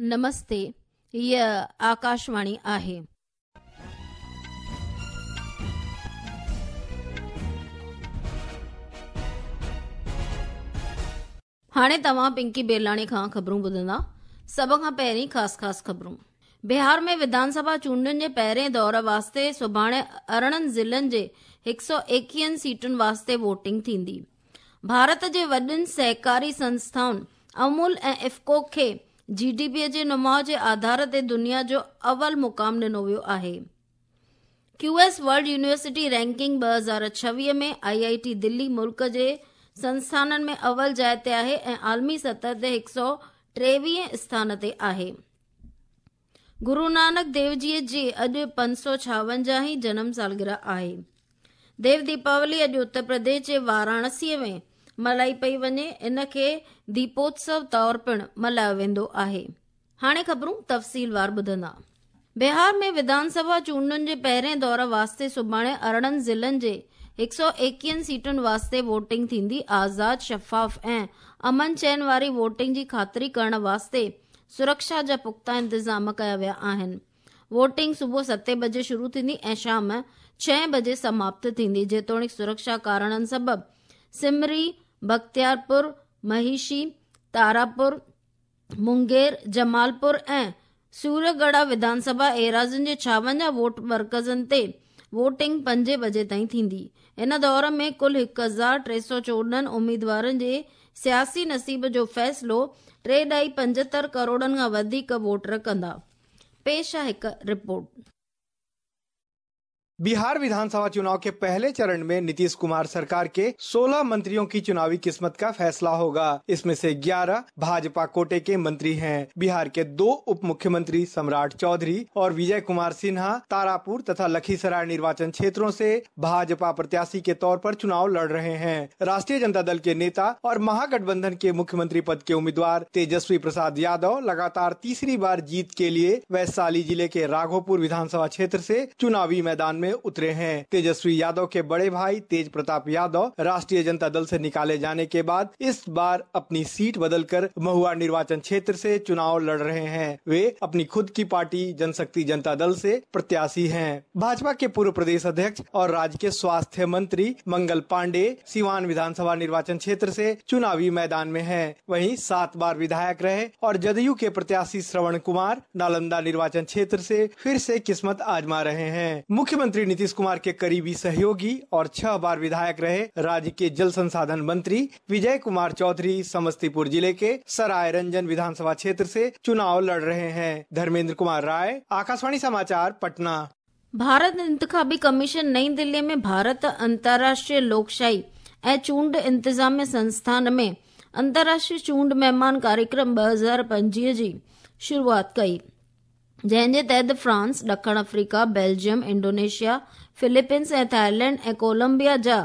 نمستي، هيء آڪاشواڻي آهي. هاڻي توهان پنڪي بيلاڻي کان خبرون ٻڌندا. سڀ کان پهرين خاص خاص خبرون. بهار ۾ وڌان سڀا چونڊن جي پهرين دور واسطي سڀاڻي 18 ضلعن جي 121 سيٽن واسطي ووٽنگ ٿيندي. ڀارت جي وڏين سهڪاري سنسٿائن امول ۽ افڪو کي جي ڊي پي جي نماء جي آڌار تي دنيا جو اول مقام ڏنو ويو آهي. Q S world university ranking 2026 ۾ I I T Delhi ملڪ جي سنسٿانن ۾ اول جاء تي آهي ۽ عالمي سطح تي 123 اسٿان تي آهي. گرو نانڪ ديو جي جي اڄ 556 هين جنم سالگرهه آهي. ديو ديپاولي اڄ اتر پرديش جي واراڻسي ۾ ملهائي پئي وڃي، ان کي ديپوتسو طور پڻ ملهايو ويندو آهي. هاڻي خبرون تفصيلوار ٻڌندا. بهار ۾ وڌان سڀا چونڊن جي پهرين دور واسطي سڀاڻي 18 ضلعن جي 121 سيٽن واسطي ووٽنگ ٿيندي. آزاد، شفاف ۽ امن چين واري ووٽنگ جي خاطري ڪرڻ واسطي سرڪشا جا پختا انتظام ڪيا ويا آهن. ووٽنگ صبح ستين بجي شروع ٿيندي ۽ شام ڇهين بجي سماپت ٿيندي. جيتوڻيڪ سرڪشا ڪارڻن سبب سمري، بختيارپور، مهيشي، تاراپور، مونگير، جمالپور ۽ سوريڳڙها وڌان سڀا ايراضين جي 56 ووٽ مرڪزن تي ووٽنگ پنجين بجي تائين ٿيندي. ان دور ۾ ڪل 1314 اميدوارن جي سياسي نصيب جو فيصلو 3.75 ڪروڙن کان وڌيڪ ووٽر ڪندا. پيش آهي هڪ رپورٽ. बिहार विधानसभा चुनाव के पहले चरण में नीतीश कुमार सरकार के 16 मंत्रियों की चुनावी किस्मत का फैसला होगा। इसमें से 11 भाजपा कोटे के मंत्री हैं। बिहार के दो उप मुख्यमंत्री सम्राट चौधरी और विजय कुमार सिन्हा तारापुर तथा लखीसराय निर्वाचन क्षेत्रों से भाजपा प्रत्याशी के तौर पर चुनाव लड़ रहे हैं। राष्ट्रीय जनता दल के नेता और महागठबंधन के मुख्यमंत्री पद के उम्मीदवार तेजस्वी प्रसाद यादव लगातार तीसरी बार जीत के लिए वैशाली जिले के राघोपुर विधानसभा क्षेत्र से चुनावी मैदान में उतरे हैं। तेजस्वी यादव के बड़े भाई तेज प्रताप यादव राष्ट्रीय जनता दल से निकाले जाने के बाद इस बार अपनी सीट बदलकर महुआ निर्वाचन क्षेत्र से चुनाव लड़ रहे हैं। वे अपनी खुद की पार्टी जनशक्ति जनता दल से प्रत्याशी हैं। भाजपा के पूर्व प्रदेश अध्यक्ष और राज्य के स्वास्थ्य मंत्री मंगल पांडे सिवान विधानसभा निर्वाचन क्षेत्र से चुनावी मैदान में हैं। वहीं 7 बार विधायक रहे और जदयू के प्रत्याशी श्रवण कुमार नालंदा निर्वाचन क्षेत्र से फिर से किस्मत आजमा रहे हैं। मुख्यमंत्री नीतीश कुमार के करीबी सहयोगी और 6 बार विधायक रहे राज्य के जल संसाधन मंत्री विजय कुमार चौधरी समस्तीपुर जिले के सराय रंजन विधानसभा क्षेत्र से चुनाव लड़ रहे हैं। धर्मेंद्र कुमार राय, आकाशवाणी समाचार, पटना। भारत इंतखाबी कमीशन नई दिल्ली में भारत अंतर्राष्ट्रीय लोकशाही ऐं चूंड इंतजामिया संस्थान में अंतर्राष्ट्रीय चूंड मेहमान कार्यक्रम 2025 जी शुरुआत कई, जंहिं जे तहत फ्रांस, ॾखण अफ्रीका, बेल्जियम, इंडोनेशिया, फिलीपींस ऐं थाईलैंड ऐं कोलंबिया जा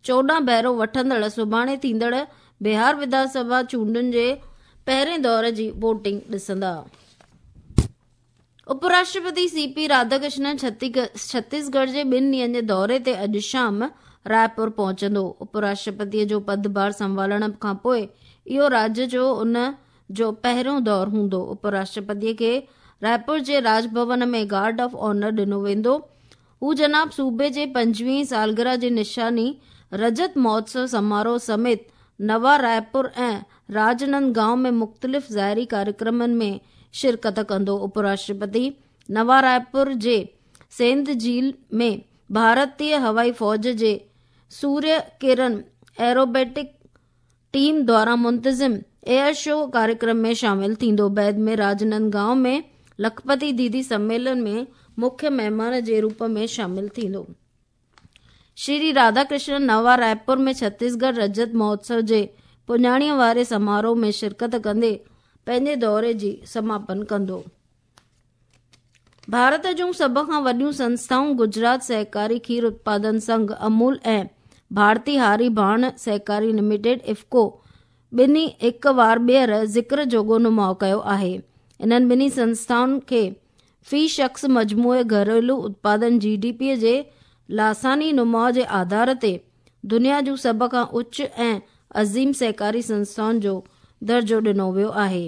14 बहिरो वठंदड़ सुभाणे थींदड़ बिहार विधानसभा चूंडुनि जे पहिरें दौर जी वोटिंग ॾिसंदा। उपराष्ट्रपति सी पी राधाकृष्णन छत्तीसगढ़ जे 2 ॾींहनि जे दौरे ते अॼु शाम रायपुर पहुचंदो। उपराष्ट्रपतीअ जो पदभार संभालण खां पोइ इहो राज्य जो उन जो पहिरियों दौर हूंदो। उपराष्ट्रपतीअ खे रायपुर जे राजभवन में गार्ड ऑफ ऑनर ॾिनो वेंदो। हू जनाब सूबे जे 25वीं सालगिरह जी निशानी रजत महोत्सव समारोह समेत नवा रायपुर ऐं राजनंदगांव में मुख़्तलिफ़ ज़ाहिरी कार्यक्रमनि में शिरकत कंदो। उपराष्ट्रपति नवा रायपुर जे सेंध झील में भारतीय हवाई फ़ौज जे सूर्य किरण एरोबेटिक टीम द्वारा मुंतज़िम एयर शो कार्यक्रम में शामिल थींदो। बाद में राजनंदगांव में लखपति दीदी सम्मेलन में मुख्य महिमान जे रूप में शामिल थींदो। श्री राधाकृष्णन नवा रायपुर में छत्तीसगढ़ रजत महोत्सव जे पुॼाणीअ वारे समारोह में शिरकत कंदे पंहिंजे दौरे जी समापन कंदो। भारत जूं सभ खां वॾियूं संस्थाऊं गुजरात सहकारी खीर उत्पादन संघ अमूल ऐं भारतीय हारी भाण सहकारी लिमिटेड इफको ॿिन्ही हिक वार ॿीहर ज़िक्र जोॻो नुमाउ कयो आहे। इन्हनि ॿिन्ही संस्थाउनि खे फी शख़्स मजमूए घरेलू उत्पादन जी डी पी जे लासानी नुमाउ जे आधार ते दुनिया जूं सभ खां उच्च ऐं अज़ीम सहकारी संस्थाउनि जो दर्जो ॾिनो वियो आहे।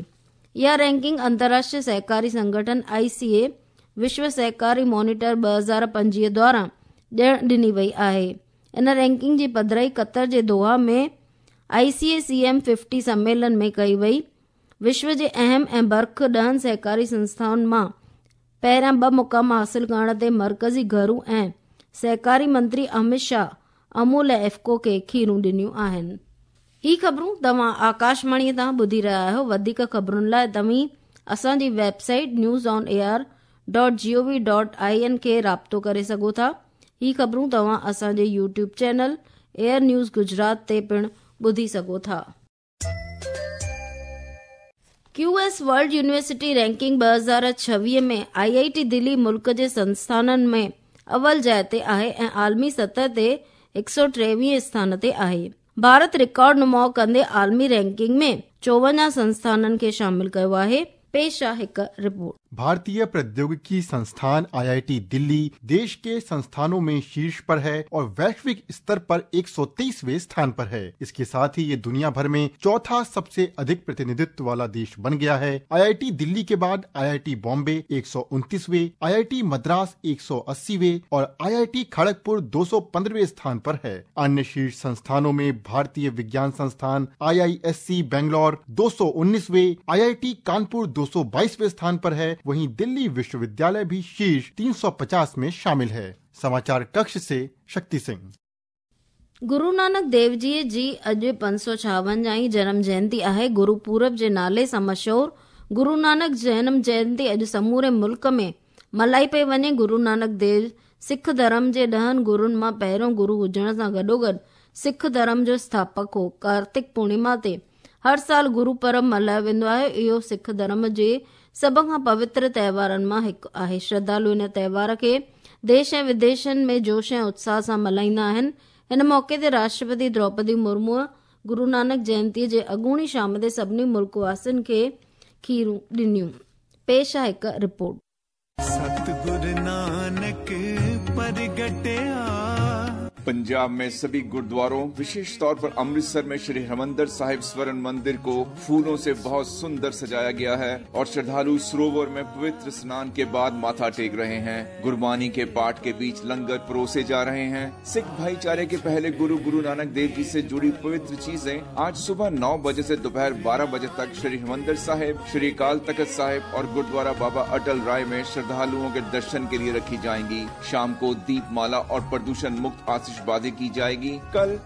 اها رينڪنگ انترراشٽريه سهڪاري سنگٺن، آء سي اي، وشو سهڪاري مانيٽر 2025 دوران ڏيڻ ڏني وئي آهي. ان رينڪنگ جي پڌرائي قطر جي Doha ۾ I C A C M fifty سميلن ۾ ڪئي وئي. وشو جي اهم ۽ برک ڏهن سهڪاري سنسٿائن مان پهريان ٻه مقام حاصل ڪرڻ تي مرڪزي گهرو ۽ سهڪاري منتري امت شاهه امول ۽ افڪو کي کيرون ڏنيون آهن. هي خبرون توهان آڪاشواڻي تان ٻڌي رهيا آهيو. وڌيڪ خبرن لاء توهين اسان جي website news on A R dot G O V dot I N کي رابطو ڪري سگهو ٿا. هي خبرون توهان اسان جي YouTube channel air news Gujarat تي پڻ ٻڌي سگهو ٿا. Q S world university ranking 2026 ۾ I I T Delhi ملڪ جي سنسٿانن ۾ اول جاء تي آهي ۽ عالمي سطح تي 123 اسٿان تي آهي. ڀارت رڪارڊ نماء ڪندي عالمي رينڪنگ ۾ 54 سنسٿانن کي شامل ڪيو آهي. پيش آ هڪ رپورٽ. भारतीय प्रौद्योगिकी संस्थान आईआईटी दिल्ली देश के संस्थानों में शीर्ष पर है और वैश्विक स्तर पर 123वें स्थान पर है। इसके साथ ही ये दुनिया भर में चौथा सबसे अधिक प्रतिनिधित्व वाला देश बन गया है। आईआईटी दिल्ली के बाद आईआईटी बॉम्बे 129वें, आईआईटी मद्रास 180वें और आईआईटी खड़गपुर 215वें स्थान पर है। अन्य शीर्ष संस्थानों में भारतीय विज्ञान संस्थान आईआईएससी बेंगलोर 219वें, आईआईटी कानपुर 222वें स्थान पर है। वहीं दिल्ली विश्वविद्यालय भी शीर्ष 350 में शामिल है। समाचार कक्ष से शक्ति सिंह। गुरु नानक देव जीअ जी अॼु 556 जनम जयंती आहे। गुरु पूरब जे नाले सां मशहूर गुरु नानक जनम जयंती अॼु समूरे मुल्क में मल्हाई पई वञे। गुरु नानक देव सिख धर्म जे ॾहनि गुरुनि मां पहिरियों गुरु हुजण सां गॾोगॾु सिख धर्म जो स्थापक हो। कार्तिक पूर्णिमा ते हर साल गुरु परब मल्हायो वेंदो आहे। इहो सिख धर्म जे सभ खां पवित्र त्योहारनि मां हिकु आहे। श्रद्धालु इन त्योहार खे देश ऐं विदेशनि में जोश ऐं उत्साह सां मल्हाईंदा आहिनि। हिन मौक़े ते राष्ट्रपति द्रौपदी मुर्मूअ गुरु नानक जयंतीअ जे अॻूणी शाम ते सभिनी मुल्क वासियुनि खे खीरूं ॾिनियूं। पेश आहे हिकु रिपोर्ट। सतगुर नानक प्रगटिया। पंजाब में सभी गुरुद्वारों, विशेष तौर पर अमृतसर में श्री हरमंदिर साहिब स्वर्ण मंदिर को फूलों से बहुत सुंदर सजाया गया है और श्रद्धालु सरोवर में पवित्र स्नान के बाद माथा टेक रहे हैं। गुरबानी के पाठ के बीच लंगर परोसे जा रहे हैं। सिख भाईचारे के पहले गुरु गुरु नानक देव जी से जुड़ी पवित्र चीजें आज सुबह 9 बजे से दोपहर 12 बजे तक श्री हरमंदिर साहिब, श्री अकाल तख्त साहिब और गुरुद्वारा बाबा अटल राय में श्रद्धालुओं के दर्शन के लिए रखी जाएंगी। शाम को दीपमाला और प्रदूषण मुक्त आतिशबाजी की जाएगी। कल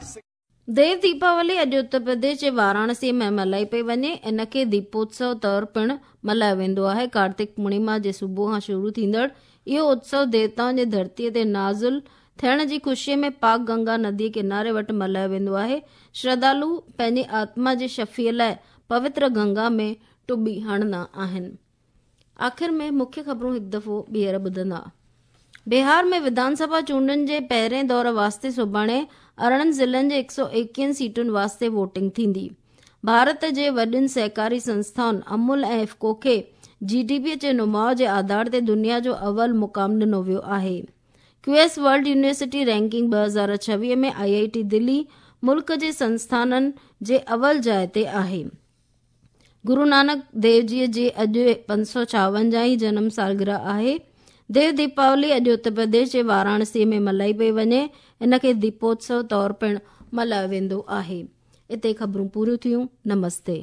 देव दीपावली अॼु उत्तर प्रदेश जे वाराणसी में मल्हाई पई वञे। इन खे दीपोत्सव तौर पिणु मल्हायो वेंदो आहे। कार्तिक पूर्णिमा जे सुबुह खां शुरू थींदड़ इहो उत्सव देवताउनि जे धरतीअ ते नाज़िल थियण जी ख़ुशीअ में पाक गंगा नदीअ किनारे वटि मल्हायो वेंदो आहे। श्रद्धालु पंहिंजी आत्मा जी शफ़ीअ लाइ पवित्र गंगा में टुॿी हणंदा आहिनि। आख़िर में मुख्य ख़बरूं हिकु दफ़ो ॿीहर ॿुधंदा। बिहार में विधानसभा चूंडनि जे पहिरें दौर वास्ते सुभाणे 18 ज़िलनि जे 121 सीटुनि वास्ते वोटिंग थींदी। भारत जे वॾियुनि सहकारी संस्थाउनि अमूल ऐं इफको खे जीडीपी जे नुमाउ जे आधार ते दुनिया जो अव्वल मुक़ाम ॾिनो वियो आहे। क्यूएस वर्ल्ड यूनिवर्सिटी रैंकिंग 2026 में आईआईटी दिल्ली मुल्क जे संस्थाननि जे अव्वल जाइ ते आहे। गुरु नानक देव जीअ जी अॼु 556 जनम सालगिरह आहे। देव दीपावली अॼु उत्तर प्रदेश जे वाराणसी में मल्हाई पई वञे। इन खे दीपोत्सव तौर पिणु मल्हायो वेंदो आहे। हिते ख़बरूं पूरियूं थियूं। नमस्ते।